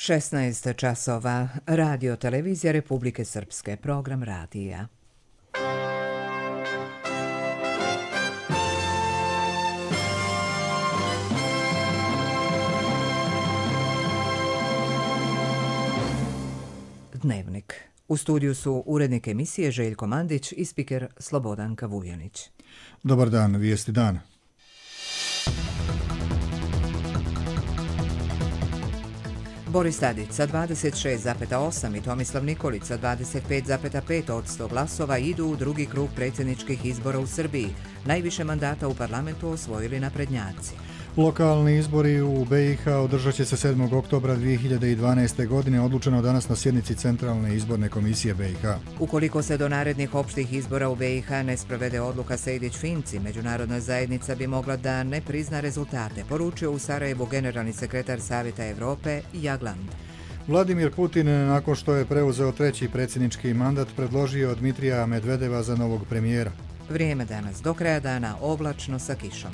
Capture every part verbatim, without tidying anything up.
šesnaest časova. Radio televizija Republike Srpske. Program radija. Dnevnik. U studiju su urednik emisije Željko Mandić i spiker Slobodanka Vujanić. Dobar dan, vijesti dana. Boris Tadić sa dvadeset šest zarez osam i Tomislav Nikolić sa dvadeset pet zarez pet od sto glasova idu u drugi krug predsjedničkih izbora u Srbiji. Najviše mandata u parlamentu osvojili naprednjaci. Lokalni izbori u be i ha održat će se sedmog oktobra dvije hiljade dvanaeste. godine, odlučeno danas na sjednici Centralne izborne komisije be i ha. Ukoliko se do narednih opštih izbora u be i ha ne sprovede odluka Sejdić-Finci, međunarodna zajednica bi mogla da ne prizna rezultate, poručio u Sarajevu generalni sekretar Savjeta Evrope Jagland. Vladimir Putin, nakon što je preuzeo treći predsjednički mandat, predložio Dmitrija Medvedeva za novog premijera. Vrijeme danas do kraja dana oblačno sa kišom.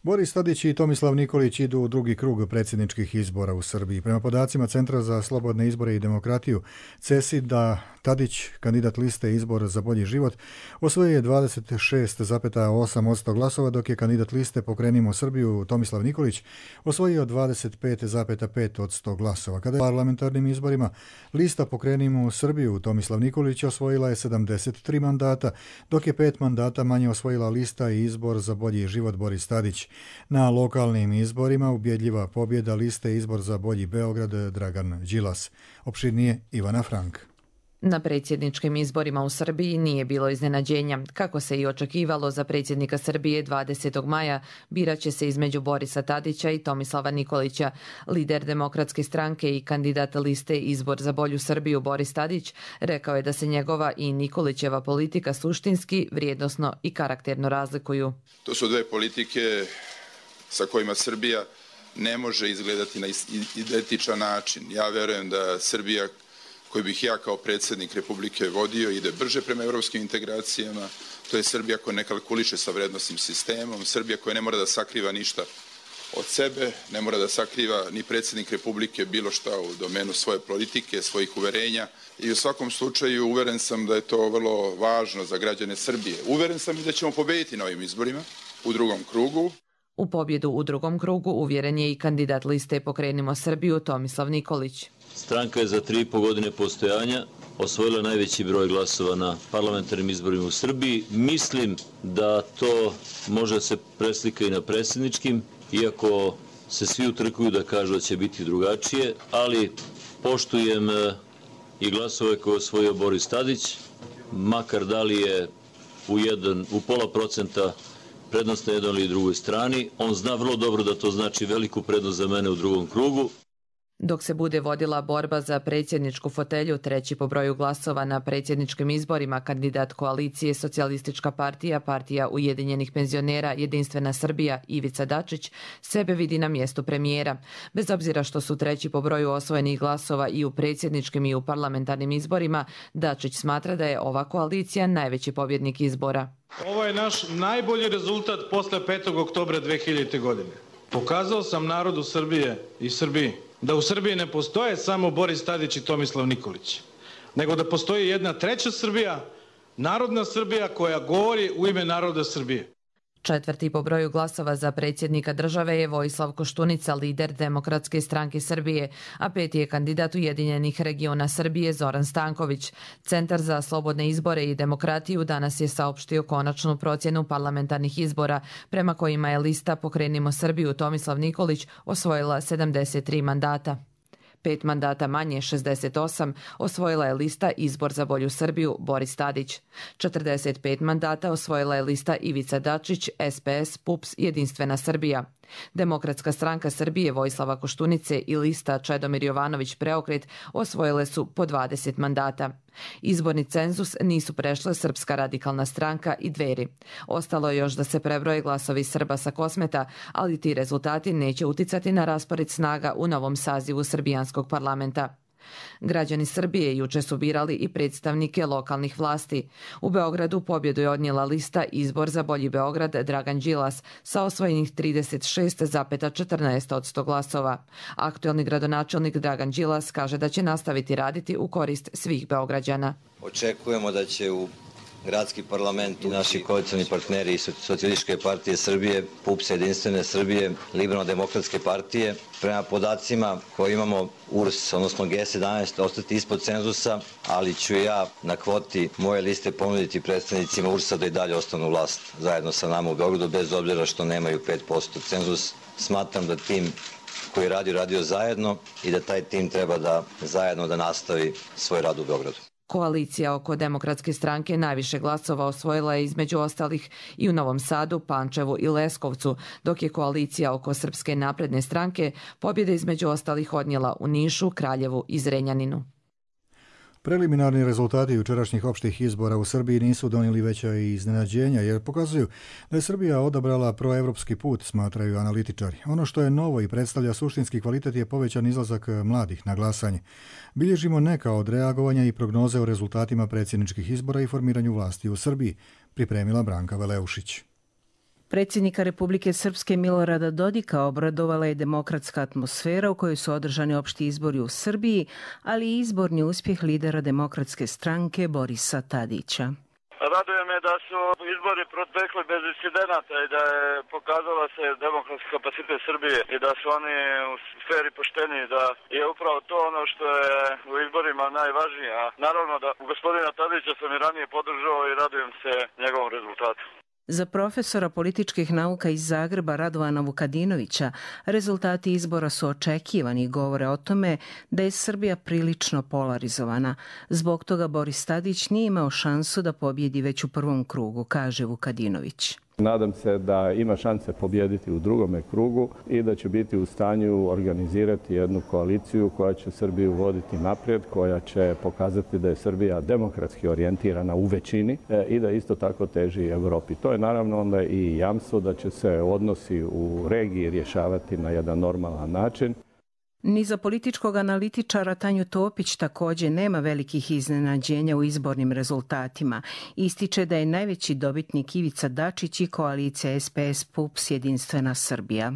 Boris Tadić i Tomislav Nikolić idu u drugi krug predsjedničkih izbora u Srbiji. Prema podacima Centra za slobodne izbore i demokratiju, CESID-a, Tadić, kandidat liste Izbor za bolji život, osvojio je dvadeset šest zarez osam od sto glasova, dok je kandidat liste Pokrenimo Srbiju Tomislav Nikolić osvojio dvadeset pet zarez pet od sto glasova. Kada je parlamentarnim izborima lista Pokrenimo Srbiju Tomislav Nikolić osvojila je sedamdeset tri mandata, dok je pet mandata manje osvojila lista Izbor za bolji život Boris Tadić. Na lokalnim izborima ubjedljiva pobjeda liste Izbor za bolji Beograd Dragan Đilas. Opširnije Ivana Frank. Na predsjedničkim izborima u Srbiji nije bilo iznenađenja. Kako se i očekivalo, za predsjednika Srbije dvadesetog maja birat će se između Borisa Tadića i Tomislava Nikolića. Lider Demokratske stranke i kandidat liste Izbor za bolju Srbiju Boris Tadić rekao je da se njegova i Nikolićeva politika suštinski, vrijednosno i karakterno razlikuju. To su dve politike sa kojima Srbija ne može izgledati na identičan način. Ja verujem da Srbija koju bih ja kao predsjednik Republike vodio ide brže prema evropskim integracijama. To je Srbija koja ne kalkuliše sa vrednosnim sistemom, Srbija koja ne mora da sakriva ništa od sebe, ne mora da sakriva ni predsjednik Republike bilo šta u domenu svoje politike, svojih uverenja. I u svakom slučaju uveren sam da je to vrlo važno za građane Srbije. Uveren sam i da ćemo pobediti na ovim izborima u drugom krugu. U pobjedu u drugom krugu uvjeren je i kandidat liste Pokrenimo Srbiju Tomislav Nikolić. Stranka je za tri i po godine postojanja osvojila najveći broj glasova na parlamentarnim izborima u Srbiji. Mislim da to može se preslika i na predsjedničkim, iako se svi utrkuju da kažu da će biti drugačije, ali poštujem i glasove koje je osvojio Boris Tadić, makar da li je u, jedan, u pola procenta prednost na jednoj ili drugoj strani. On zna vrlo dobro da to znači veliku prednost za mene u drugom krugu. Dok se bude vodila borba za predsjedničku fotelju, treći po broju glasova na predsjedničkim izborima, kandidat koalicije Socijalistička partija, Partija ujedinjenih penzionera, Jedinstvena Srbija, Ivica Dačić, sebe vidi na mjestu premijera. Bez obzira što su treći po broju osvojenih glasova i u predsjedničkim i u parlamentarnim izborima, Dačić smatra da je ova koalicija najveći pobjednik izbora. Ovo je naš najbolji rezultat posle petog oktobra dve hiljadite. godine. Pokazao sam narodu Srbije i Srbiji da u Srbiji ne postoje samo Boris Tadić i Tomislav Nikolić, nego da postoji jedna treća Srbija, narodna Srbija koja govori u ime naroda Srbije. Četvrti po broju glasova za predsjednika države je Vojislav Koštunica, lider Demokratske stranke Srbije, a peti je kandidat Ujedinjenih regiona Srbije Zoran Stanković. Centar za slobodne izbore i demokratiju danas je saopštio konačnu procjenu parlamentarnih izbora, prema kojima je lista Pokrenimo Srbiju Tomislav Nikolić osvojila sedamdeset tri mandata. Pet mandata manje, šezdeset osam, osvojila je lista Izbor za bolju Srbiju Boris Tadić. četrdeset pet mandata osvojila je lista Ivica Dačić, es pe es, PUPS, Jedinstvena Srbija. Demokratska stranka Srbije Vojislava Koštunice i lista Čedomir Jovanović Preokret osvojile su po dvadeset mandata. Izborni cenzus nisu prešle Srpska radikalna stranka i Dveri. Ostalo je još da se prebroje glasovi Srba sa Kosmeta, ali ti rezultati neće uticati na raspored snaga u novom sazivu srbijanskog parlamenta. Građani Srbije juče su birali i predstavnike lokalnih vlasti. U Beogradu pobjedu je odnijela lista Izbor za bolji Beograd Dragan Đilas sa osvojenih trideset šest zarez četrnaest posto glasova. Aktuelni gradonačelnik Dragan Đilas kaže da će nastaviti raditi u korist svih Beograđana. Očekujemo da će u gradski parlament i naši koalicioni partneri iz Socijalističke partije Srbije, P U P S, Jedinstvene Srbije, Liberalno-demokratske partije, prema podacima koje imamo U R S, odnosno G sedamnaest, ostati ispod cenzusa, ali ću ja na kvoti moje liste ponuditi predstavnicima U R S-a da i dalje ostanu vlast zajedno sa nama u Beogradu, bez obzira što nemaju pet posto cenzus. Smatram da tim koji je radio, radio zajedno i da taj tim treba da zajedno da nastavi svoj rad u Beogradu. Koalicija oko Demokratske stranke najviše glasova osvojila je između ostalih i u Novom Sadu, Pančevu i Leskovcu, dok je koalicija oko Srpske napredne stranke pobjede između ostalih odnijela u Nišu, Kraljevu i Zrenjaninu. Preliminarni rezultati jučerašnjih opštih izbora u Srbiji nisu donijeli veća iznenađenja jer pokazuju da je Srbija odabrala proevropski put, smatraju analitičari. Ono što je novo i predstavlja suštinski kvalitet je povećan izlazak mladih na glasanje. Bilježimo neka od reagovanja i prognoze o rezultatima predsjedničkih izbora i formiranju vlasti u Srbiji, pripremila Branka Veleušić. Predsjednika Republike Srpske Milorada Dodika obradovala je demokratska atmosfera u kojoj su održani opšti izbori u Srbiji, ali i izborni uspjeh lidera Demokratske stranke Borisa Tadića. Raduje me da su izbori protekli bez incidenata i da je pokazala se demokratski kapacitet Srbije i da su oni u sferi pošteni, da je upravo to ono što je u izborima najvažnije. A naravno da gospodina Tadića sam i ranije podržao i radujem se njegovom rezultatu. Za profesora političkih nauka iz Zagreba Radovana Vukadinovića rezultati izbora su očekivani i govore o tome da je Srbija prilično polarizovana. Zbog toga Boris Tadić nije imao šansu da pobjedi već u prvom krugu, kaže Vukadinović. Nadam se da ima šanse pobjediti u drugome krugu i da će biti u stanju organizirati jednu koaliciju koja će Srbiju voditi naprijed, koja će pokazati da je Srbija demokratski orijentirana u većini i da isto tako teži Evropi. To je naravno onda i jamstvo da će se odnosi u regiji rješavati na jedan normalan način. Ni za političkog analitičara Tanju Topić također nema velikih iznenađenja u izbornim rezultatima. Ističe da je najveći dobitnik Ivica Dačić i koalicija S P S P U P S Jedinstvena Srbija.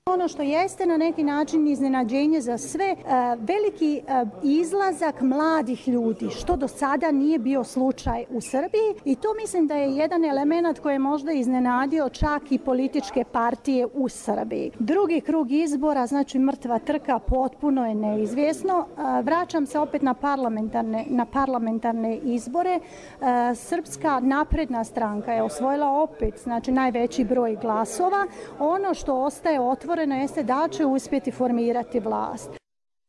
Ono što jeste na neki način iznenađenje za sve, veliki izlazak mladih ljudi, što do sada nije bio slučaj u Srbiji i to mislim da je jedan element koji je možda iznenadio čak i političke partije u Srbiji. Drugi krug izbora, znači mrtva trka, potpuno je neizvjesno. Vraćam se opet na parlamentarne, na parlamentarne izbore. Srpska napredna stranka je osvojila opet znači najveći broj glasova. Ono što ostaje otvoreno jeste da će uspjeti formirati vlast.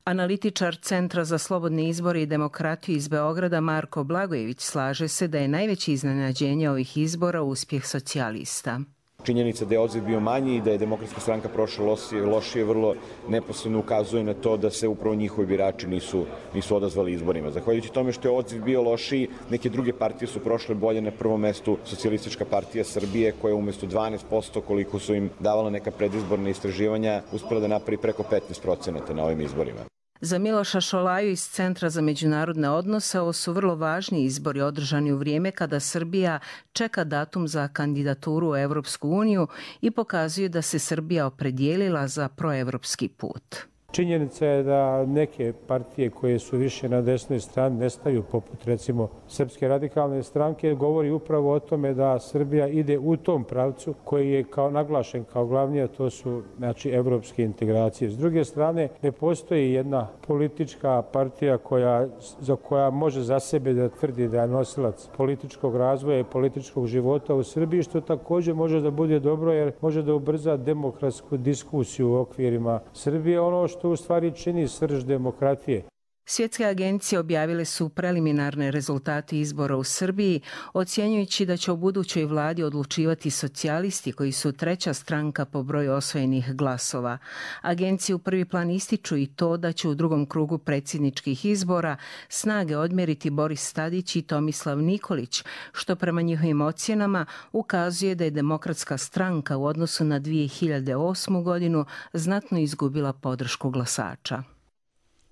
Analitičar Centra za slobodne izbore i demokratiju iz Beograda Marko Blagojević slaže se da je najveće iznenađenje ovih izbora uspjeh socijalista. Činjenica da je odziv bio manji i da je Demokratska stranka prošla lošije, lošije vrlo neposredno ukazuje na to da se upravo njihovi birači nisu, nisu odazvali izborima. Zahvaljujući tome što je odziv bio lošiji, neke druge partije su prošle bolje. Na prvom mestu Socijalistička partija Srbije, koja umjesto dvanaest posto koliko su im davala neka predizborna istraživanja, uspela da napravi preko petnaest procenata na ovim izborima. Za Miloša Šolaju iz Centra za međunarodne odnose ovo su vrlo važni izbori održani u vrijeme kada Srbija čeka datum za kandidaturu u Evropsku uniju i pokazuju da se Srbija opredijelila za proevropski put. Činjenica je da neke partije koje su više na desnoj strani nestaju, poput recimo Srpske radikalne stranke, govori upravo o tome da Srbija ide u tom pravcu koji je kao naglašen kao glavni, a to su znači evropske integracije. S druge strane, ne postoji jedna politička partija koja, za koja može za sebe da tvrdi da je nosilac političkog razvoja i političkog života u Srbiji, što također može da bude dobro jer može da ubrza demokratsku diskusiju u okvirima Srbije. Ono što to u stvari čini srž demokratije. Svjetske agencije objavile su preliminarne rezultate izbora u Srbiji, ocjenjujući da će u budućoj vladi odlučivati socijalisti koji su treća stranka po broju osvojenih glasova. Agencije u prvi plan ističu i to da će u drugom krugu predsjedničkih izbora snage odmjeriti Boris Tadić i Tomislav Nikolić, što prema njihovim ocjenama ukazuje da je Demokratska stranka u odnosu na dvije hiljade osmu godinu znatno izgubila podršku glasača.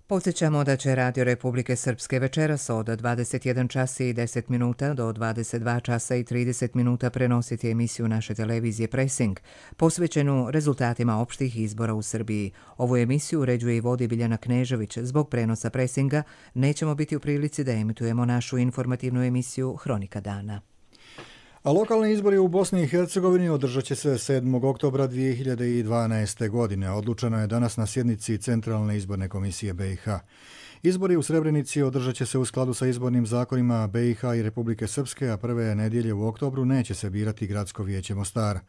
Podsjećamo da će Radio Republike Srpske večeras od dvadeset jedan čas i deset minuta do dvadeset dva časa i trideset minuta prenositi emisiju naše televizije Pressing, posvećenu rezultatima opštih izbora u Srbiji. Ovu emisiju uređuje i vodi Biljana Knežević. Zbog prenosa Pressinga nećemo biti u prilici da emitujemo našu informativnu emisiju Hronika dana. A lokalni izbori u Bosni i Hercegovini održat će se sedmog oktobra dvije hiljade dvanaeste. godine. Odlučeno je danas na sjednici Centralne izborne komisije B i H. Izbori u Srebrenici održat će se u skladu sa izbornim zakonima B i H i Republike Srpske, a prve nedjelje u oktobru neće se birati Gradsko vijeće Mostar.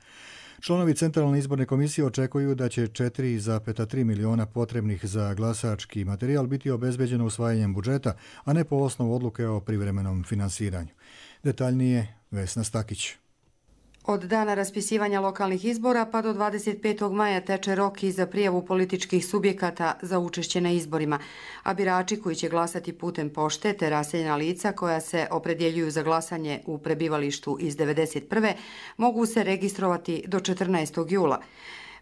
Članovi Centralne izborne komisije očekuju da će četiri zarez tri miliona potrebnih za glasački materijal biti obezbeđeno usvajanjem budžeta, a ne po osnovu odluke o privremenom finansiranju. Detaljnije Vesna Stakić. Od dana raspisivanja lokalnih izbora pa do dvadeset petog maja teče rok i za prijavu političkih subjekata za učešće na izborima, a birači koji će glasati putem pošte te raseljena lica koja se opredjeljuju za glasanje u prebivalištu iz devedeset prve mogu se registrovati do četrnaestog jula.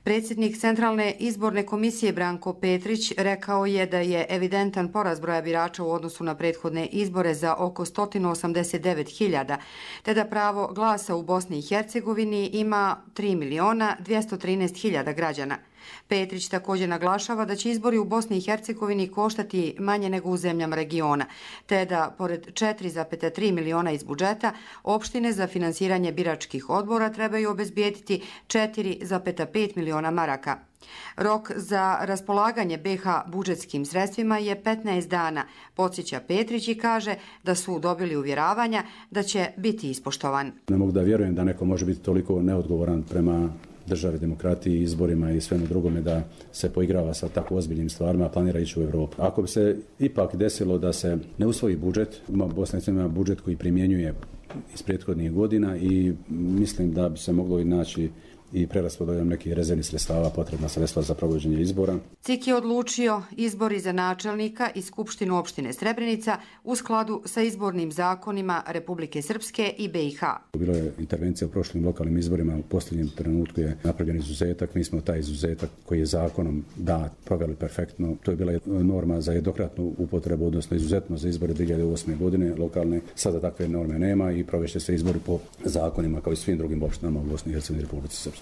Predsjednik Centralne izborne komisije Branko Petrić rekao je da je evidentan porast broja birača u odnosu na prethodne izbore za oko sto osamdeset devet hiljada, te da pravo glasa u Bosni i Hercegovini ima tri miliona dvjesto trinaest hiljada građana. Petrić također naglašava da će izbori u Bosni i Hercegovini koštati manje nego u zemljama regiona, te da, pored četiri zarez tri miliona iz budžeta, opštine za finansiranje biračkih odbora trebaju obezbijediti četiri zarez pet miliona maraka. Rok za raspolaganje B i H budžetskim sredstvima je petnaest dana, podsjeća Petrić i kaže da su dobili uvjeravanja da će biti ispoštovan. Ne mogu da vjerujem da neko može biti toliko neodgovoran prema državi, demokratiji, izborima i svemu drugome da se poigrava sa tako ozbiljnim stvarima, a planira ići u Evropu. Ako bi se ipak desilo da se ne usvoji budžet, ima Bosna i Hercegovina budžet koji primjenjuje iz prethodnih godina i mislim da bi se moglo i naći i preraspodeljom nekih rezervnih sredstava potrebna sredstva za provođenje izbora. C I K je odlučio izbori za načelnika i Skupštinu opštine Srebrenica u skladu sa izbornim zakonima Republike Srpske i B i H. Bilo je intervencija u prošlim lokalnim izborima, u posljednjem trenutku je napravljen izuzetak, mi smo taj izuzetak koji je zakonom dat proveli perfektno. To je bila norma za jednokratnu upotrebu, odnosno izuzetno za izbore dvije hiljade osme. godine lokalne. Sada takve norme nema i provešće se izbori po zakonima kao i svim drugim opštinama u Bosni i Hercegovini i Republici Srpskoj.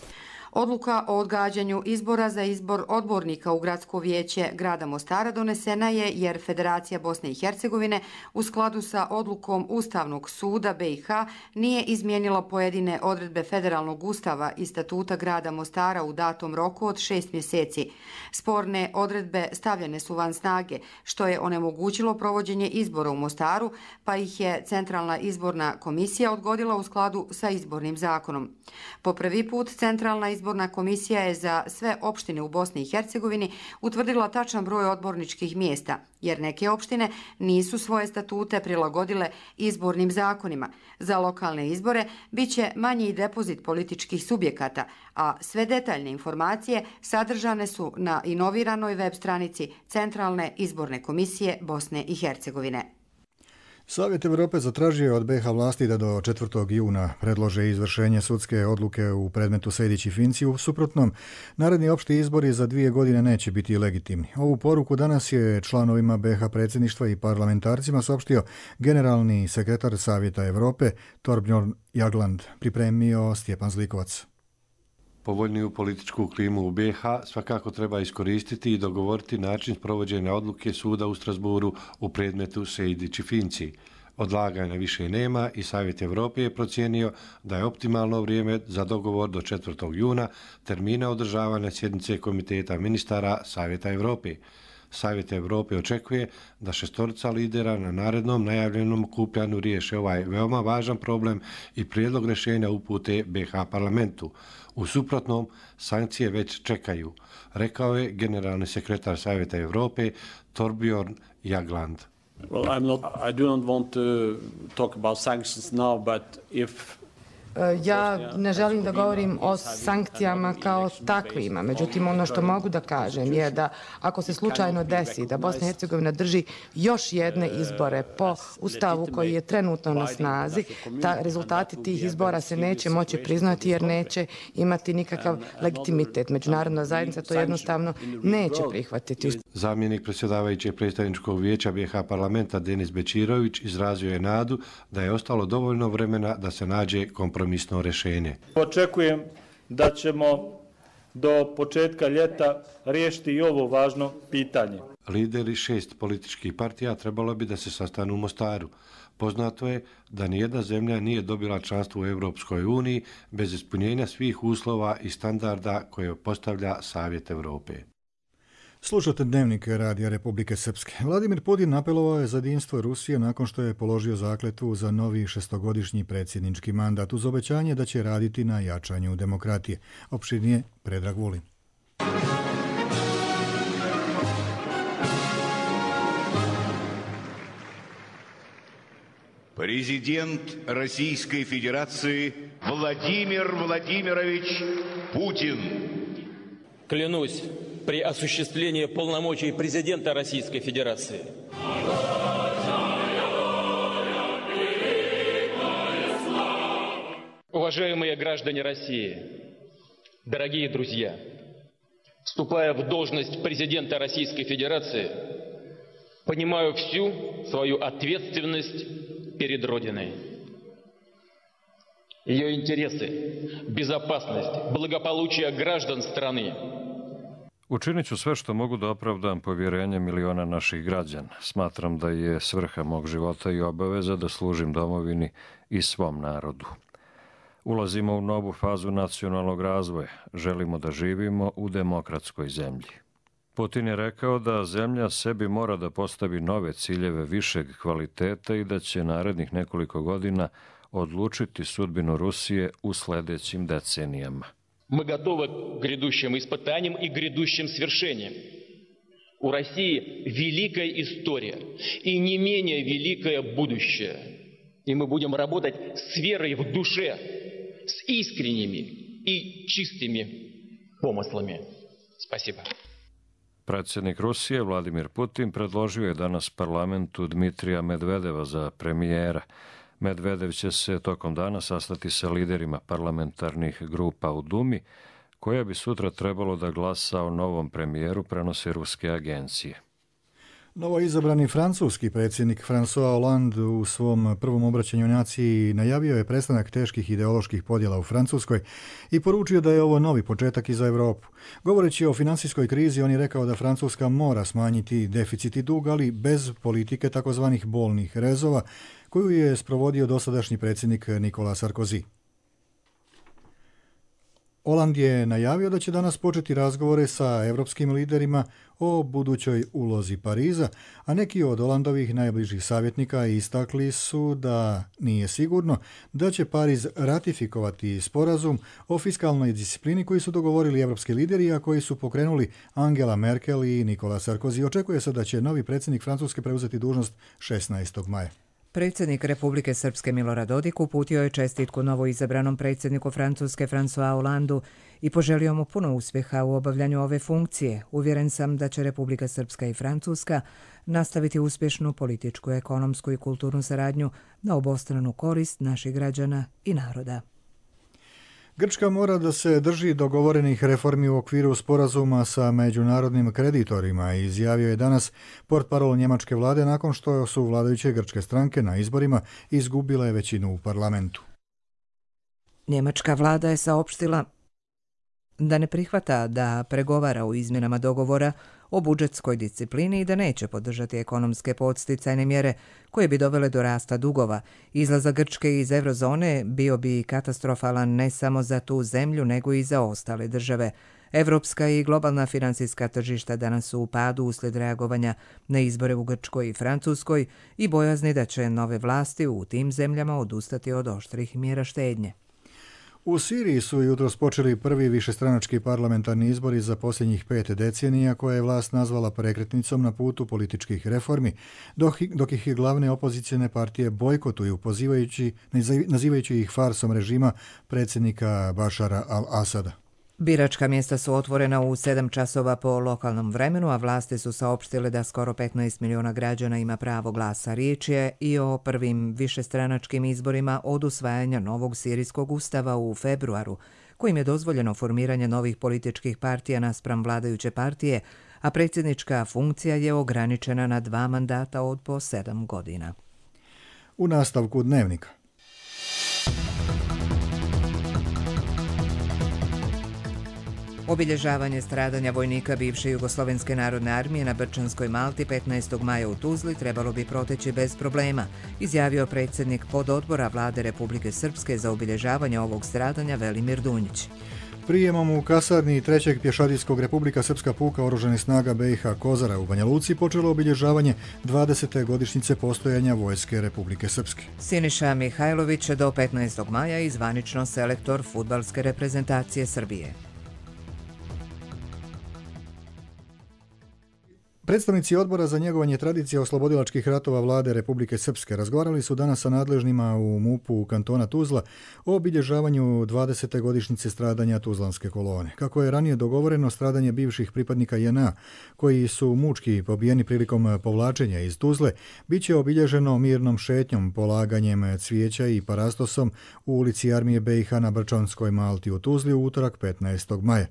Odluka o odgađanju izbora za izbor odbornika u Gradsko vijeće grada Mostara donesena je jer Federacija Bosne i Hercegovine u skladu sa odlukom Ustavnog suda B i H nije izmijenila pojedine odredbe Federalnog ustava i statuta grada Mostara u datom roku od šest mjeseci. Sporne odredbe stavljene su van snage, što je onemogućilo provođenje izbora u Mostaru, pa ih je Centralna izborna komisija odgodila u skladu sa izbornim zakonom. Po prvi put Centralna izborna Izborna komisija je za sve opštine u Bosni i Hercegovini utvrdila tačan broj odborničkih mjesta, jer neke opštine nisu svoje statute prilagodile izbornim zakonima. Za lokalne izbore biće manji depozit političkih subjekata, a sve detaljne informacije sadržane su na inoviranoj web stranici Centralne izborne komisije Bosne i Hercegovine. Savjet Evrope zatražio je od B i H vlasti da do četvrtog juna predlože izvršenje sudske odluke u predmetu Sejdić i Finci. U suprotnom, naredni opšti izbori za dvije godine neće biti legitimni. Ovu poruku danas je članovima B i H predsjedništva i parlamentarcima saopštio generalni sekretar Savjeta Evrope Torbjörn Jagland, pripremio Stjepan Zlikovac. Povoljniju političku klimu u B i H svakako treba iskoristiti i dogovoriti način provođenja odluke suda u Strasburu u predmetu Sejdić i Finci. Odlaganja više nema i Savjet Evrope je procijenio da je optimalno vrijeme za dogovor do četvrtog juna, termina održavanja sjednice Komiteta ministara Savjeta Evrope. Savjet Evrope očekuje da šestorica lidera na narednom najavljenom okupljanju riješe ovaj veoma važan problem i prijedlog rješenja upute B i H parlamentu. U suprotnom, sankcije već čekaju, rekao je generalni sekretar Savjeta Evrope Torbjörn Jagland. Well, I'm not, I do not want to talk about sanctions now, but if Ja ne želim da govorim o sankcijama kao takvima, međutim ono što mogu da kažem je da ako se slučajno desi da Bosna i Hercegovina drži još jedne izbore po ustavu koji je trenutno na snazi, ta, rezultati tih izbora se neće moći priznati jer neće imati nikakav legitimitet. Međunarodna zajednica to jednostavno neće prihvatiti. Zamjenik predsjedavajućeg predstavničkog vijeća B i H parlamenta Denis Bečirović izrazio je nadu da je ostalo dovoljno vremena da se nađe kompromisno rješenje. Očekujem da ćemo do početka ljeta riješiti i ovo važno pitanje. Lideri šest političkih partija trebalo bi da se sastanu u Mostaru. Poznato je da nijedna zemlja nije dobila članstvo u Europskoj uniji bez ispunjenja svih uslova i standarda koje postavlja Savjet Europe. Slušate Dnevnik Radija Republike Srpske. Vladimir Putin apelovao je za jedinstvo Rusije nakon što je položio zakletvu za novi šestogodišnji predsjednički mandat uz obećanje da će raditi na jačanju demokratije. Opširnije Predrag Vulin. Президент Российской Федерации Владимир Владимирович Путин. Клянусь при осуществлении полномочий президента Российской Федерации. Уважаемые граждане России, дорогие друзья, вступая в должность президента Российской Федерации, понимаю всю свою ответственность перед Родиной. Ее интересы, безопасность, благополучие граждан страны. Učinit ću sve što mogu da opravdam povjerenje miliona naših građana. Smatram da je svrha mog života i obaveza da služim domovini i svom narodu. Ulazimo u novu fazu nacionalnog razvoja. Želimo da živimo u demokratskoj zemlji. Putin je rekao da zemlja sebi mora da postavi nove ciljeve višeg kvaliteta i da će narednih nekoliko godina odlučiti sudbinu Rusije u sljedećim decenijama. Мы готовы к грядущим испытаниям и грядущим свершениям. У России великая история и не менее великое будущее. И мы будем работать с верой в душе, с искренними и чистыми помыслами. Спасибо. Predsjednik Rusije Vladimir Putin predložio je danas parlamentu Dmitrija Medvedeva za premijera. Medvedev će se tokom dana sastati sa liderima parlamentarnih grupa u Dumi, koja bi sutra trebalo da glasa o novom premijeru, prenose ruske agencije. Novo izabrani francuski predsjednik François Hollande u svom prvom obraćanju naciji najavio je prestanak teških ideoloških podjela u Francuskoj i poručio da je ovo novi početak i za Europu. Govoreći o finansijskoj krizi, on je rekao da Francuska mora smanjiti deficit i dug, ali bez politike takozvanih bolnih rezova, koju je sprovodio dosadašnji predsjednik Nicolas Sarkozy. Hollande je najavio da će danas početi razgovore sa evropskim liderima o budućoj ulozi Pariza, a neki od Hollandovih najbližih savjetnika istakli su da nije sigurno da će Pariz ratifikovati sporazum o fiskalnoj disciplini koji su dogovorili evropski lideri, a koji su pokrenuli Angela Merkel i Nicolas Sarkozy. Očekuje se da će novi predsjednik Francuske preuzeti dužnost šesnaestog maja. Predsjednik Republike Srpske Milorad Dodik uputio je čestitku novoizabranom predsjedniku Francuske François Hollandu i poželio mu puno uspjeha u obavljanju ove funkcije. Uvjeren sam da će Republika Srpska i Francuska nastaviti uspješnu političku, ekonomsku i kulturnu saradnju na obostranu korist naših građana i naroda. Grčka mora da se drži dogovorenih reformi u okviru sporazuma sa međunarodnim kreditorima, izjavio je danas portparol njemačke vlade nakon što su vladajuće grčke stranke na izborima izgubile većinu u parlamentu. Njemačka vlada je saopštila da ne prihvata da pregovara o izmjenama dogovora o budžetskoj disciplini i da neće podržati ekonomske podsticajne mjere koje bi dovele do rasta dugova. Izlazak Grčke iz eurozone bio bi katastrofalan ne samo za tu zemlju, nego i za ostale države. Evropska i globalna finansijska tržišta danas su u padu uslijed reagovanja na izbore u Grčkoj i Francuskoj i bojazni da će nove vlasti u tim zemljama odustati od oštrih mjera štednje. U Siriji su jutros počeli prvi višestranački parlamentarni izbori za posljednjih pet decenija koje je vlast nazvala prekretnicom na putu političkih reformi, dok, dok ih glavne opozicione partije bojkotuju, pozivajući, nazivajući ih farsom režima predsjednika Bašara al-Asada. Biračka mjesta su otvorena u sedam časova po lokalnom vremenu, a vlasti su saopštile da skoro petnaest miliona građana ima pravo glasa. Riječ je i o prvim višestranačkim izborima od usvajanja novog sirijskog ustava u februaru, kojim je dozvoljeno formiranje novih političkih partija naspram vladajuće partije, a predsjednička funkcija je ograničena na dva mandata od po sedam godina. U nastavku Dnevnika. Obilježavanje stradanja vojnika bivše Jugoslovenske narodne armije na Brčanskoj Malti petnaestog maja u Tuzli trebalo bi proteći bez problema, izjavio predsjednik pododbora Vlade Republike Srpske za obilježavanje ovog stradanja Velimir Dunjić. Prijemom u kasarni trećeg pješadijskog Republika Srpska puka oružanih snaga B i H Kozara u Banja Luci počelo obilježavanje dvadesete godišnjice postojanja Vojske Republike Srpske. Siniša Mihajlović do petnaestog maja i zvanično selektor fudbalske reprezentacije Srbije. Predstavnici Odbora za njegovanje tradicije oslobodilačkih ratova Vlade Republike Srpske razgovarali su danas sa nadležnima u MUP-u kantona Tuzla o obilježavanju dvadesete godišnjice stradanja Tuzlanske kolone. Kako je ranije dogovoreno, stradanje bivših pripadnika J N A, koji su mučki pobijeni prilikom povlačenja iz Tuzle, bit će obilježeno mirnom šetnjom, polaganjem cvijeća i parastosom u ulici Armije B i H na Brčanskoj Malti u Tuzli u utorak petnaestog maja.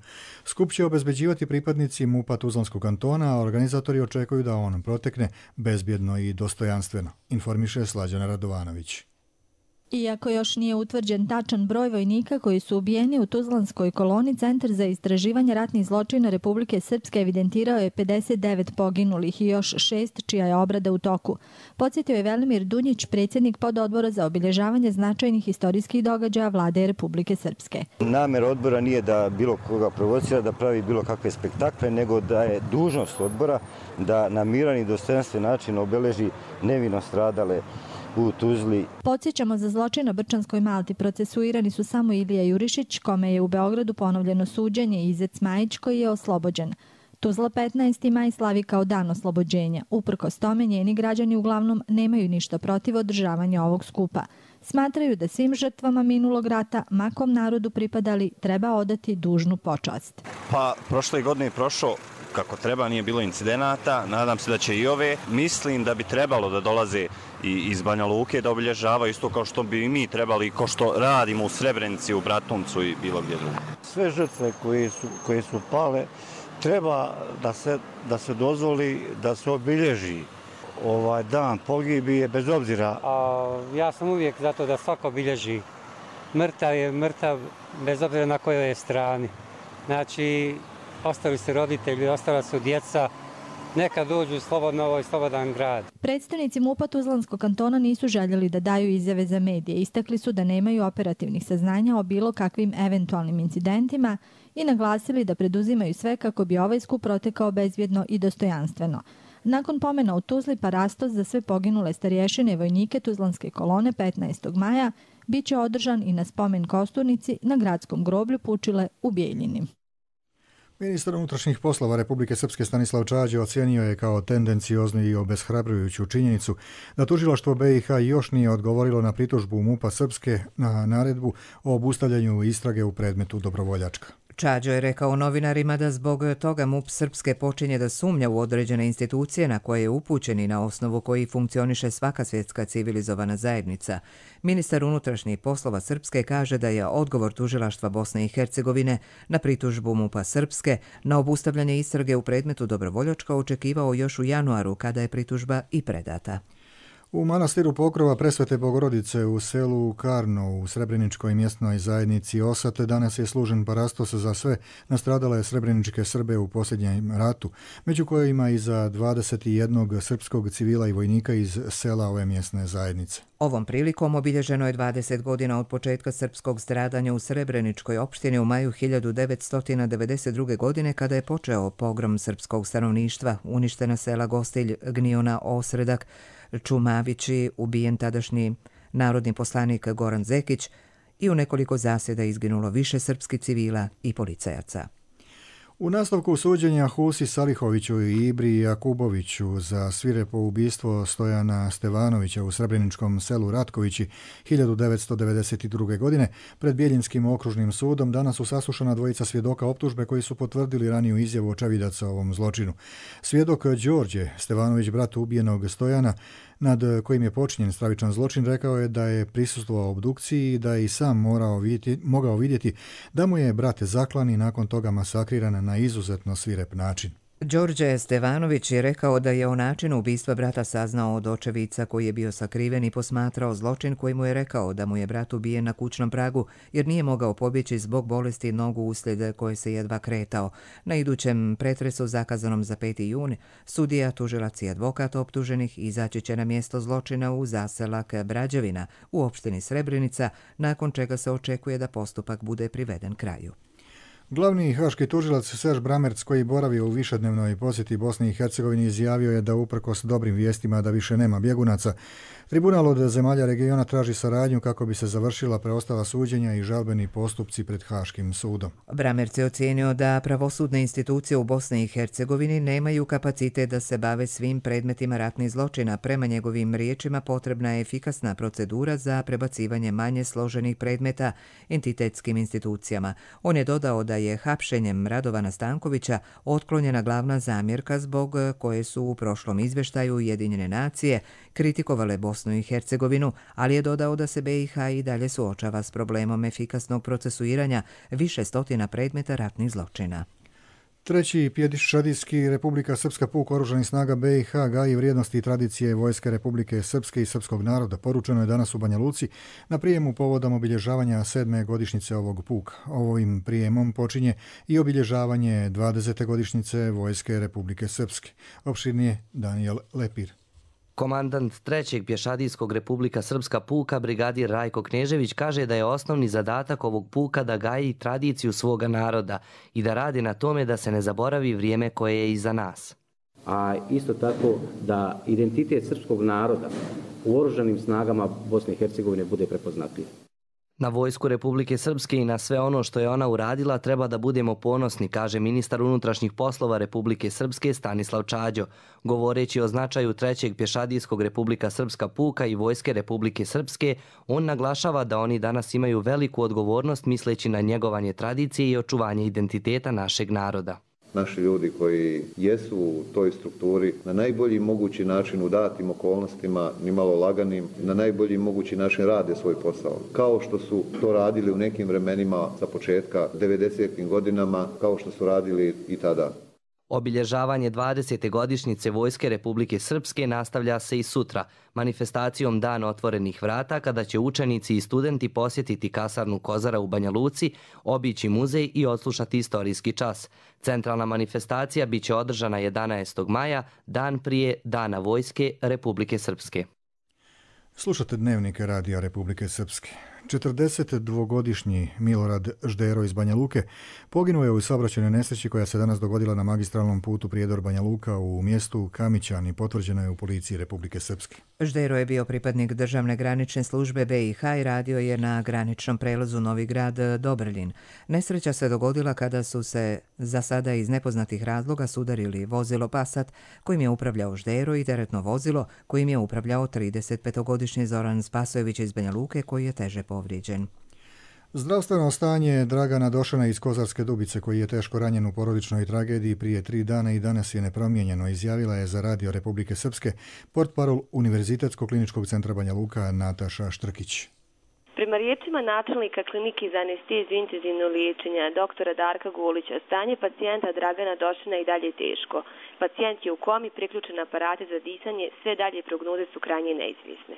Skup će obezbeđivati pripadnici MUP-a Tuzlanskog kantona, a organizator očekuju da on protekne bezbjedno i dostojanstveno, informiše Slađana Radovanović. Iako još nije utvrđen tačan broj vojnika koji su ubijeni u Tuzlanskoj koloni, Centar za istraživanje ratnih zločina Republike Srpske evidentirao je pedeset devet poginulih i još šest čija je obrada u toku. Podsjetio je Velimir Dunjić, predsjednik pododbora za obilježavanje značajnih istorijskih događaja Vlade Republike Srpske. Namera odbora nije da bilo koga provocira, da pravi bilo kakve spektakle, nego da je dužnost odbora da na miran i dostojanstven način obeleži nevino stradale u Tuzli. Podsjećamo, za zločin na Brčanskoj Malti procesuirani su samo Ilija Jurišić, kome je u Beogradu ponovljeno suđenje, i Izec Majić, koji je oslobođen. Tuzla petnaesti maj slavi kao dan oslobođenja. Uprkos tome, njeni građani uglavnom nemaju ništa protiv održavanja ovog skupa. Smatraju da svim žrtvama minulog rata, ma kom narodu pripadali, treba odati dužnu počast. Pa, prošle godine je prošlo kako treba, nije bilo incidenata, nadam se da će i ove. Mislim da bi trebalo da dolaze i iz Banja Luke da obilježavaju isto kao što bi i mi trebali, kao što radimo u Srebrenici, u Bratuncu i bilo gdje drugo. Sve žrtve koje su, koje su pale treba da se, da se dozvoli da se obilježi ovaj dan pogibije bez obzira. A, ja sam uvijek zato da svako obilježi. Mrtav je mrtav bez obzira na kojoj je strani. Znači, ostali su roditelji, ostala su djeca, neka dođu slobodno ovo i slobodan grad. Predstavnici MUP-a Tuzlanskog kantona nisu željeli da daju izjave za medije. Istakli su da nemaju operativnih saznanja o bilo kakvim eventualnim incidentima i naglasili da preduzimaju sve kako bi ovaj skup protekao bezbjedno i dostojanstveno. Nakon pomena u Tuzli, parastos za sve poginule starješine i vojnike Tuzlanske kolone petnaestog maja bit će održan i na spomen kosturnici na gradskom groblju Pučile u Bijeljini. Ministar unutrašnjih poslova Republike Srpske Stanislav Čađe ocijenio je kao tendencioznu i obeshrabrujuću činjenicu da tužilaštvo B i H još nije odgovorilo na pritužbu MUP-a Srpske na naredbu o obustavljanju istrage u predmetu Dobrovoljačka. Čađo je rekao novinarima da zbog toga MUP Srpske počinje da sumnja u određene institucije na koje je upućen i na osnovu koji funkcioniše svaka svjetska civilizovana zajednica. Ministar unutrašnjih poslova Srpske kaže da je odgovor tužilaštva Bosne i Hercegovine na pritužbu MUP-a Srpske na obustavljanje istrage u predmetu Dobrovoljačka očekivao još u januaru, kada je pritužba i predata. U manastiru Pokrova Presvete Bogorodice u selu Karno u Srebreničkoj mjesnoj zajednici Osat danas je služen parastos za sve nastradale srebreničke Srbe u posljednjem ratu, među kojima i za dvadeset jednog srpskog civila i vojnika iz sela ove mjesne zajednice. Ovom prilikom obilježeno je dvadeset godina od početka srpskog stradanja u Srebreničkoj opštini u maju hiljadu devetsto devedeset druge. godine, kada je počeo pogrom srpskog stanovništva, uništena sela Gostilj, Gniona, Osredak, Čumavići, ubijen tadašnji narodni poslanik Goran Zekić i u nekoliko zasjeda izginulo više srpskih civila i policajaca. U nastavku suđenja Husi Salihoviću i Ibri Jakuboviću za svirepo ubistvo Stojana Stevanovića u srebreničkom selu Ratkovići hiljadu devetsto devedeset druge. godine pred Bjeljinskim okružnim sudom danas su saslušana dvojica svjedoka optužbe koji su potvrdili raniju izjavu očevidaca o ovom zločinu. Svjedok Đorđe Stevanović, brat ubijenog Stojana, nad kojim je počinjen stravičan zločin, rekao je da je prisustvovao obdukciji i da je i sam morao vidjeti, mogao vidjeti da mu je brat zaklan i nakon toga masakriran na izuzetno svirep način. Đorđe Stevanović je rekao da je o načinu ubistva brata saznao od očevica koji je bio sakriven i posmatrao zločin, koji mu je rekao da mu je brat ubijen na kućnom pragu jer nije mogao pobjeći zbog bolesti nogu uslijed koje se jedva kretao. Na idućem pretresu zakazanom za peti jun sudija, tužilac i advokat optuženih izaći će na mjesto zločina u zaselak Brađevina u opštini Srebrenica, nakon čega se očekuje da postupak bude priveden kraju. Glavni haški tužilac Serž Bramerc, koji boravio u višednevnoj posjeti Bosni i Hercegovini, izjavio je da uprkos dobrim vijestima da više nema bjegunaca, tribunal od zemalja regiona traži saradnju kako bi se završila preostala suđenja i žalbeni postupci pred Haškim sudom. Bramerc je ocijenio da pravosudne institucije u Bosni i Hercegovini nemaju kapacitet da se bave svim predmetima ratnih zločina. Prema njegovim riječima potrebna je efikasna procedura za prebacivanje manje složenih predmeta entitetskim institucijama. On je dodao da je hapšenjem Radovana Stankovića otklonjena glavna zamjerka zbog koje su u prošlom izvještaju Ujedinjene nacije kritikovale Bosnu i Hercegovinu, ali je dodao da se B i H i dalje suočava s problemom efikasnog procesuiranja više stotina predmeta ratnih zločina. Treći pješadijski Republika Srpska puk oružanih snaga B i H gaji vrijednosti i tradicije Vojske Republike Srpske i srpskog naroda. Poručeno je danas u Banja Luci na prijemu povodom obilježavanja sedme godišnjice ovog puka. Ovim prijemom počinje i obilježavanje dvadesete godišnjice Vojske Republike Srpske. Opširnije Danijel Lepir. Komandant trećeg pješadijskog Republika Srpska puka, brigadir Rajko Knežević, kaže da je osnovni zadatak ovog puka da gaji tradiciju svoga naroda i da radi na tome da se ne zaboravi vrijeme koje je iza nas. A isto tako da identitet srpskog naroda u oružanim snagama Bosne i Hercegovine bude prepoznatljiv. Na Vojsku Republike Srpske i na sve ono što je ona uradila treba da budemo ponosni, kaže ministar unutrašnjih poslova Republike Srpske Stanislav Čađo. Govoreći o značaju trećeg pješadijskog Republika Srpska puka i Vojske Republike Srpske, on naglašava da oni danas imaju veliku odgovornost misleći na njegovanje tradicije i očuvanje identiteta našeg naroda. Naši ljudi koji jesu u toj strukturi na najbolji mogući način u datim okolnostima, nimalo laganim, na najbolji mogući način rade svoj posao. Kao što su to radili u nekim vremenima sa početka devedesetih godinama, kao što su radili i tada. Obilježavanje dvadesete godišnjice Vojske Republike Srpske nastavlja se i sutra, manifestacijom Dana otvorenih vrata, kada će učenici i studenti posjetiti kasarnu Kozara u Banja Luci, obići muzej i odslušati istorijski čas. Centralna manifestacija biće održana jedanaestog maja, dan prije Dana Vojske Republike Srpske. Slušate Dnevnike Radija Republike Srpske. četrdesetdvogodišnji Milorad Ždero iz Banja Luke poginuo je u saobraćajnoj nesreći koja se danas dogodila na magistralnom putu Prijedor-Banja Luka u mjestu Kamićan i potvrđeno je u policiji Republike Srpske. Ždero je bio pripadnik državne granične službe B i H i radio je na graničnom prelazu Novi Grad Dobrljin. Nesreća se dogodila kada su se za sada iz nepoznatih razloga sudarili vozilo Passat kojim je upravljao Ždero i teretno vozilo kojim je upravljao tridesetpetogodišnji Zoran Spasojević iz Banja Luke koji je teže povrijeđen. Zdravstveno stanje Dragana Došana iz Kozarske Dubice, koji je teško ranjen u porodičnoj tragediji prije tri dana i danas je nepromijenjeno, izjavila je za Radio Republike Srpske portparol Univerzitetskog kliničkog centra Banja Luka Nataša Štrkić. Prema riječima načelnika klinike za anesteziju i intenzivno liječenje doktora Darka Gulića, stanje pacijenta Dragana Došana i dalje teško. Pacijent je u komi, priključen aparate za disanje, sve dalje prognoze su krajnje neizvjesne.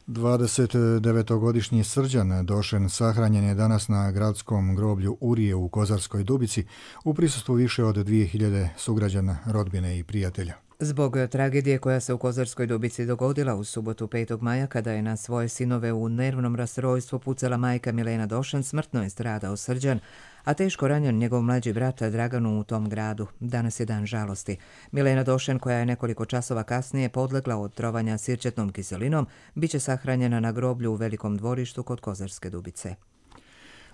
dvadesetdevetogodišnji Srđan Došen sahranjen je danas na gradskom groblju Urije u Kozarskoj Dubici u prisustvu više od dvije hiljade sugrađana, rodbine i prijatelja. Zbog tragedije koja se u Kozarskoj Dubici dogodila u subotu petog maja kada je na svoje sinove u nervnom rastrojstvu pucala majka Milena Došan, smrtno je stradao Srđan, a teško ranjen njegov mlađi brat Draganu u tom gradu. Danas je dan žalosti. Milena Došan, koja je nekoliko časova kasnije podlegla od trovanja sirćetnom kiselinom, bit će sahranjena na groblju u Velikom dvorištu kod Kozarske Dubice.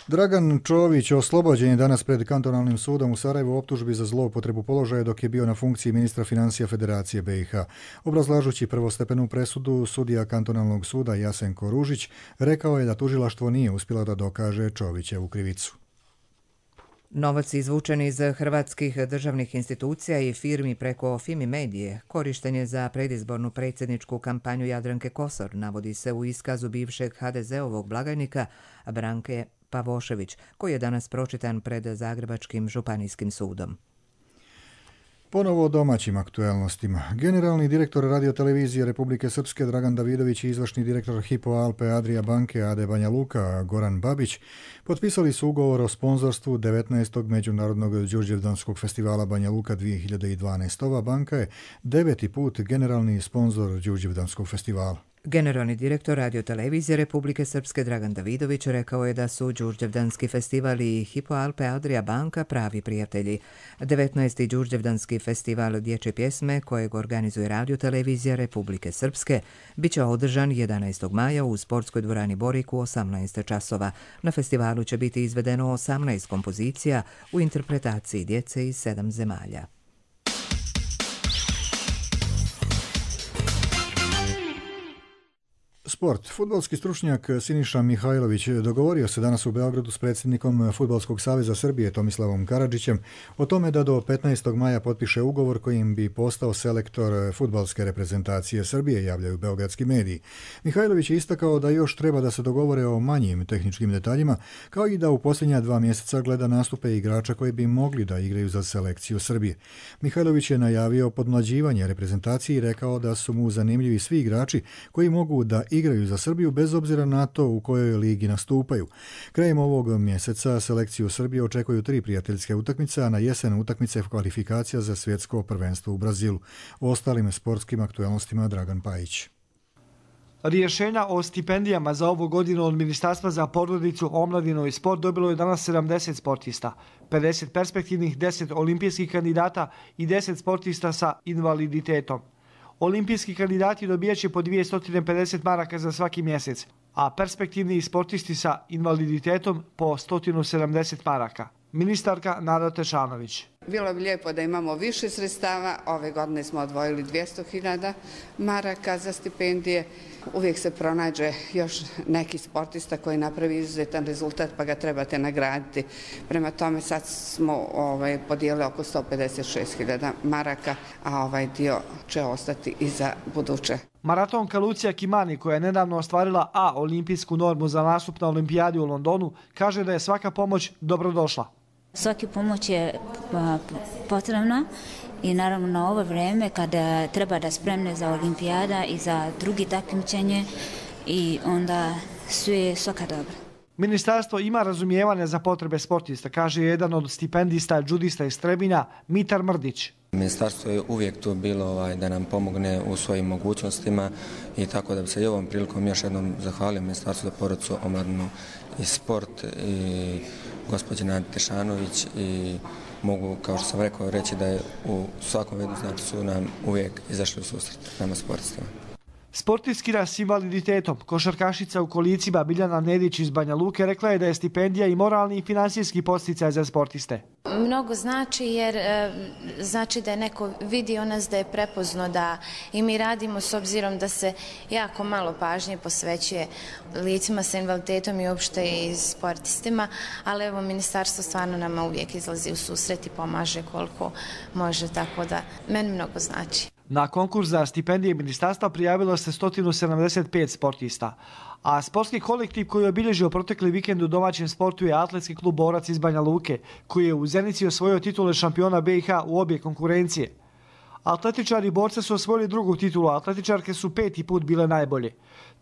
Dragan Čović oslobođen je danas pred kantonalnim sudom u Sarajevu optužbi za zloupotrebu položaja dok je bio na funkciji ministra financija Federacije B i H. Obrazlažući prvostepenu presudu, sudija kantonalnog suda Jasenko Ružić rekao je da tužilaštvo nije uspjelo da dokaže Čovićevu krivicu. Novac izvučen iz hrvatskih državnih institucija i firmi preko Fimi Medije korišten je za predizbornu predsjedničku kampanju Jadranke Kosor, navodi se u iskazu bivšeg ha de ze-ovog blagajnika Branke Pavošević, koji je danas pročitan pred Zagrebačkim županijskim sudom. Ponovo o domaćim aktuelnostima. Generalni direktor radiotelevizije Republike Srpske Dragan Davidović i izvršni direktor Hypo Alpe Adria banke A D Banja Luka Goran Babić potpisali su ugovor o sponzorstvu devetnaestog Međunarodnog Đurđevdanskog festivala Banja Luka dvije hiljade dvanaeste. Ova banka je deveti put generalni sponzor Đurđevdanskog festivala. Generalni direktor radiotelevizije Republike Srpske Dragan Davidović rekao je da su Đurđevdanski festival i Hypo Alpe Adria banka pravi prijatelji. devetnaesti. Đurđevdanski festival dječje pjesme kojeg organizuje radiotelevizija Republike Srpske bit će održan jedanaestog maja u sportskoj dvorani Borik u osamnaest časova. Na festivalu će biti izvedeno osamnaest kompozicija u interpretaciji djece iz sedam zemalja. Sport. Fudbalski stručnjak Siniša Mihajlović dogovorio se danas u Beogradu s predsjednikom Fudbalskog saveza Srbije Tomislavom Karadžićem o tome da do petnaestog maja potpiše ugovor kojim bi postao selektor fudbalske reprezentacije Srbije, javljaju beogradski mediji. Mihajlović je istakao da još treba da se dogovore o manjim tehničkim detaljima, kao i da u posljednja dva mjeseca gleda nastupe igrača koji bi mogli da igraju za selekciju Srbije. Mihajlović je najavio podmlađivanje reprezentacije i rekao da su mu zanimljivi svi igrači koji mogu da igraju za Srbiju bez obzira na to u kojoj ligi nastupaju. Krajem ovog mjeseca selekciju Srbije očekuju tri prijateljske utakmice, a na jesen utakmice kvalifikacija za svjetsko prvenstvo u Brazilu. O ostalim sportskim aktuelnostima Dragan Pajić. Rješenja o stipendijama za ovu godinu od Ministarstva za porodicu, omladinu i sport dobilo je danas sedamdeset sportista, pedeset perspektivnih, deset olimpijskih kandidata i deset sportista sa invaliditetom. Olimpijski kandidati dobijaće po dvjesto pedeset maraka za svaki mjesec, a perspektivni sportisti sa invaliditetom po sto sedamdeset maraka. Ministarka Nada Tešanović. Bilo bi lijepo da imamo više sredstava. Ove godine smo odvojili dvjesto hiljada maraka za stipendije. Uvijek se pronađe još neki sportista koji napravi izuzetan rezultat pa ga trebate nagraditi. Prema tome sad smo ovaj, podijelili oko sto pedeset šest hiljada maraka, a ovaj dio će ostati i za buduće. Maratonka Lucija Kimani, koja je nedavno ostvarila A olimpijsku normu za nastup na olimpijadi u Londonu, kaže da je svaka pomoć dobrodošla. Svaki pomoć je potrebna i naravno na ovo vrijeme kada treba da spremne za olimpijada i za drugi takmičenje i onda sve svaka dobra. Ministarstvo ima razumijevanja za potrebe sportista, kaže jedan od stipendista, judista iz Trebinja, Mitar Mrdić. Ministarstvo je uvijek tu bilo ovaj, da nam pomogne u svojim mogućnostima i tako da bi se i ovom prilikom još jednom zahvalio Ministarstvu za porodicu, omladinu i sport i gospođe Nadi Tešanović i mogu, kao što sam rekao, reći da je u svakom vidu znači su nam uvijek izašli u susret nama sportistima. Sportistkina s invaliditetom, košarkašica u kolicima Biljana Nedić iz Banja Luke rekla je da je stipendija i moralni i finansijski podsticaj za sportiste. Mnogo znači jer e, znači da je neko vidio nas, da je prepozno da i mi radimo s obzirom da se jako malo pažnje posvećuje licima sa invaliditetom i uopšte i sportistima, ali evo ministarstvo stvarno nama uvijek izlazi u susret i pomaže koliko može, tako da meni mnogo znači. Na konkurs za stipendije ministarstva prijavilo se sto sedamdeset pet sportista, a sportski kolektiv koji je obilježio protekli vikend u domaćem sportu je Atletski klub Borac iz Banja Luke, koji je u Zenici osvojio titule šampiona B i H u obje konkurencije. Atletičari borca su osvojili drugu titulu, a atletičarke su peti put bile najbolje.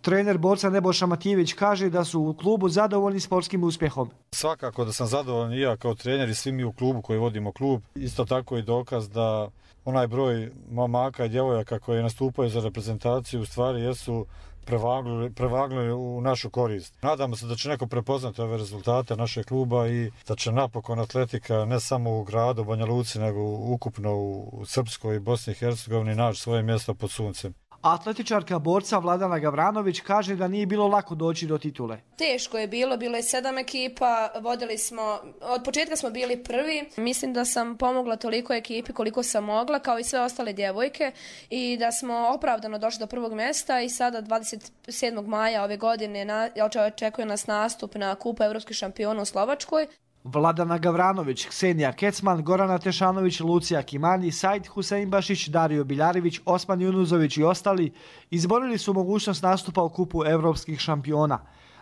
Trener borca Nebojša Matijević kaže da su u klubu zadovoljni sportskim uspjehom. Svakako da sam zadovoljan i ja kao trener i svi mi u klubu koji vodimo klub. Isto tako i dokaz da onaj broj momaka i djevojaka koji nastupaju za reprezentaciju u stvari jesu prevagnuli, prevagnuli u našu korist. Nadamo se da će neko prepoznati ove rezultate našeg kluba i da će napokon atletika ne samo u gradu Banja Luci, nego ukupno u Srpskoj i Bosni i Hercegovini naći svoje mjesto pod suncem. Atletičarka borca Vladana Gavranović kaže da nije bilo lako doći do titule. Teško je bilo, bilo je sedam ekipa, vodili smo, od početka smo bili prvi. Mislim da sam pomogla toliko ekipi koliko sam mogla, kao i sve ostale djevojke, i da smo opravdano došli do prvog mjesta i sada dvadeset sedmog maja ove godine na, očekuje nas nastup na Kupu evropskih šampiona u Slovačkoj. Vladana Gavranović, Ksenija Kecman, Gorana Tešanović, Lucija Kimani, Said Huseinbašić, Dario Biljarević, Osman Junuzović i ostali izborili su mogućnost nastupa u Kupu evropskih šampiona.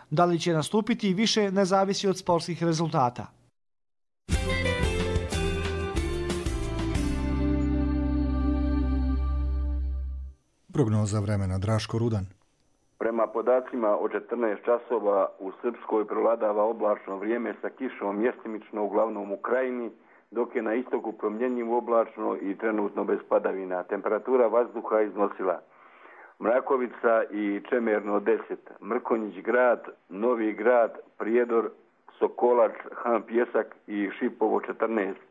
Da li će nastupiti više ne zavisi od sportskih rezultata. Prognoza vremena, Draško Rudan. Prema podacima od četrnaest časova u Srpskoj prevladava oblačno vrijeme sa kišom mjestimično uglavnom u krajini, dok je na istoku promjenjivo oblačno i trenutno bez padavina. Temperatura vazduha iznosila Mrakovica i Čemerno deset, Mrkonjić grad, Novi grad, Prijedor, Sokolac, Han Pjesak i Šipovo četrnaest,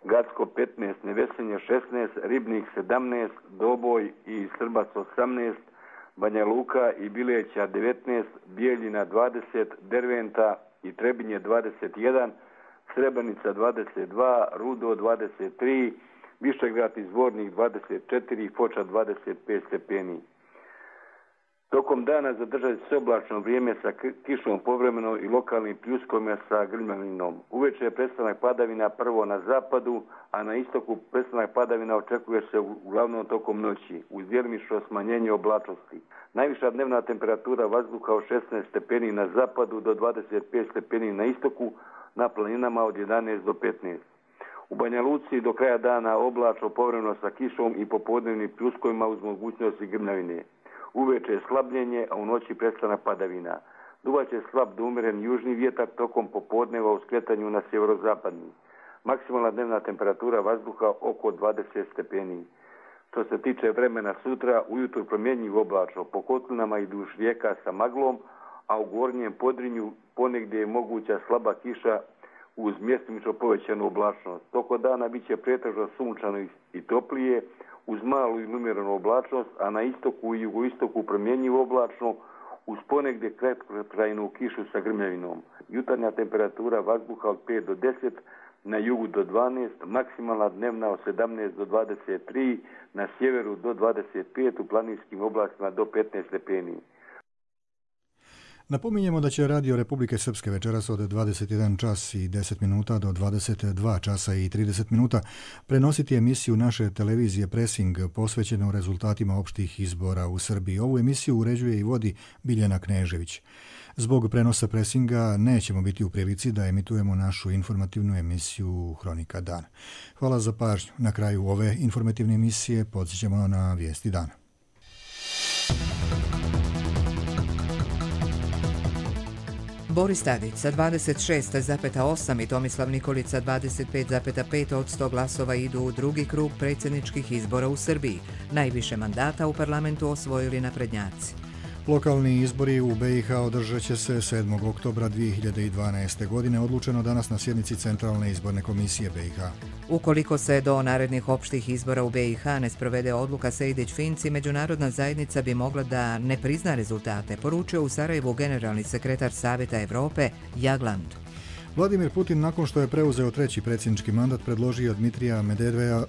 Gacko petnaest, Nevesenje šesnaest, Ribnik sedamnaest, Doboj i Srbac osamnaest, Banja Luka i Bileća devetnaest, Bijeljina dvadeset, Derventa i Trebinje dvadeset jedan, Srebrenica dvadeset dva, Rudo dvadeset tri, Višegrad i Zvornik dvadeset četiri, Foča dvadeset pet stepeni. Tokom dana zadržati se oblačno vrijeme sa kišom povremeno i lokalnim pljuskovima sa grmljavinom. Uveče je prestanak padavina prvo na zapadu, a na istoku prestanak padavina očekuje se uglavnom tokom noći, uz djelomično smanjenje oblačnosti. Najviša dnevna temperatura vazduha od šesnaest stepeni na zapadu do dvadeset pet stepeni na istoku, na planinama od jedanaest do petnaest. U Banja Luci do kraja dana oblačno povremeno sa kišom i popodnevnim pljuskovima uz mogućnosti grmljavine. Uveče je slabljenje, a u noći prestanak padavina. Duvaće slab do umjeren južni vjetar tokom popodneva u skretanju na sjeverozapadni. Maksimalna dnevna temperatura vazduha oko dvadeset stepeni. Što se tiče vremena sutra, ujutro promjenjivo oblačno, po kotlinama i duž rijeka sa maglom, a u gornjem Podrinju ponegdje je moguća slaba kiša uz mjestimično povećanu oblačnost. Toko dana bit će pretežno sunčano i toplije, uz malu i umjerenu oblačnost, a na istoku i jugoistoku promjenjivo oblačno, uz ponegdje kratkotrajnu kišu sa grmljavinom. Jutarnja temperatura vazduha od pet do deset, na jugu do dvanaest, maksimalna dnevna od sedamnaest do dvadeset tri, na sjeveru do dvadeset pet, u planinskim oblastima do petnaest stepeni. Napominjemo da će Radio Republike Srpske večeras od dvadeset jedan čas i deset minuta do dvadeset dva časa i trideset minuta prenositi emisiju naše televizije Presing posvećenu rezultatima opštih izbora u Srbiji. Ovu emisiju uređuje i vodi Biljana Knežević. Zbog prenosa Presinga nećemo biti u prilici da emitujemo našu informativnu emisiju Hronika dana. Hvala za pažnju. Na kraju ove informativne emisije podsjećamo na vijesti dana. Boris Tadić sa dvadeset šest zarez osam i Tomislav Nikolić sa dvadeset pet zarez pet od sto glasova idu u drugi krug predsjedničkih izbora u Srbiji. Najviše mandata u parlamentu osvojili naprednjaci. Lokalni izbori u be i ha održat će se sedmog oktobra dvije hiljade dvanaeste. godine, odlučeno danas na sjednici Centralne izborne komisije be i ha. Ukoliko se do narednih opštih izbora u be i ha ne sprovede odluka Sejdić-Finci, međunarodna zajednica bi mogla da ne prizna rezultate, poručio u Sarajevu generalni sekretar Savjeta Evrope Jagland. Vladimir Putin, nakon što je preuzeo treći predsjednički mandat, predložio Dmitrija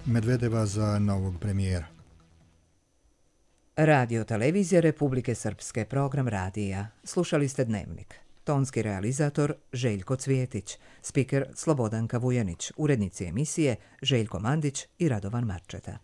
Medvedeva za novog premijera. Radio Televizija Republike Srpske, program radija. Slušali ste Dnevnik. Tonski realizator Željko Cvijetić, spiker Slobodanka Vujanić, urednici emisije Željko Mandić i Radovan Marčeta.